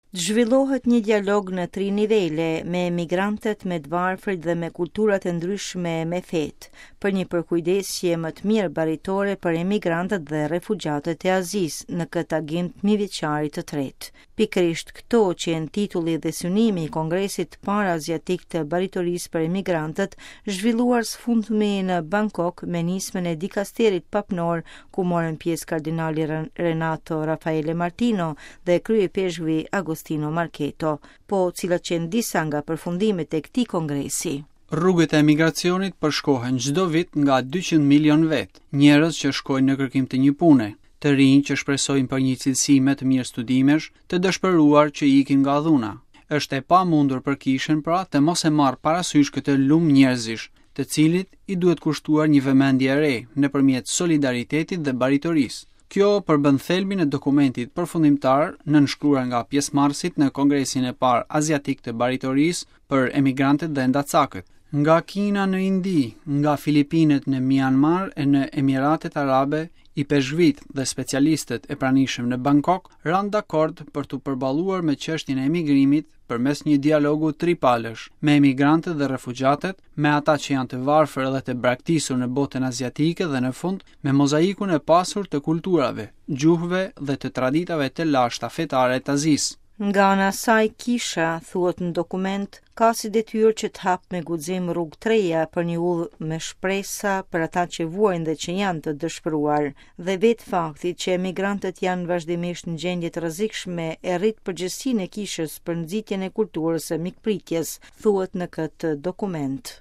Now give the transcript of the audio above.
Të zhvillohet një dialog në tri nivele, me emigrantët, me të varfrit dhe me kulturat e ndryshme e me fetë, për një përkujdesje më të mirë baritore për emigrantët dhe refugjatët e Azisë në këtë agim të mijëvjeçarit të tretë. Pikërisht këto qenë titulli dhe synimi i Kongresit të parë Aziatik të Baritorisë për Emigrantët, zhvilluar së fundmi në Bangkok me nismën e dikasterit papnor ku morën pjesë kardinali Renato Raffaele Martino dhe kryeipeshkvi Agostino Marchetto. Po cilat qenë disa nga përfundimet e këtij kongresi? Rrugët e emigracionit përshkohen çdo vit nga 200 milion vetë, njerëz që shkojnë në kërkim të një pune, të rinj që shpresojnë për një cilësi më të mirë studimesh, të dëshpëruar që ikin nga dhuna. Është e pamundur për kishën pra të mos e marrë parasysh këtë lumë njerëzish, të cilit i duhet kushtuar një vëmendje e re nëpërmjet solidaritetit dhe baritorisë. Kjo përbën thelbin e dokumentit përfundimtar nënshkruar nga pjesëmarrësit në Kongresin e parë Aziatik të Baritorisë për emigrantët dhe endacakët. Nga Kina në Indi, nga Filipinet në Mianmar e në Emiratet Arabe, ipeshkvijtë dhe specialistët e pranishëm në Bangkok ranë dakord për t'u përballuar me çështjen e emigrimit përmes një dialogu tripalësh me emigrantët dhe refugjatët, me ata që janë të varfër dhe të braktisur në botën aziatike dhe në fund me mozaikun e pasur të kulturave, gjuhëve dhe të traditave të lashta fetare të Azisë. Nga ana e saj, Kisha, thuhet në dokument, ka si detyrë që të hapë me guxim rrugë të reja për një udhë me shpresa për ata që vuajnë dhe që janë të dëshpëruar. Dhe vetë fakti që emigrantët janë vazhdimisht në gjendje të rrezikshme e rrit përgjegjësinë e Kishës për nxitjen e kulturës së mikpritjes, thuhet në këtë dokument.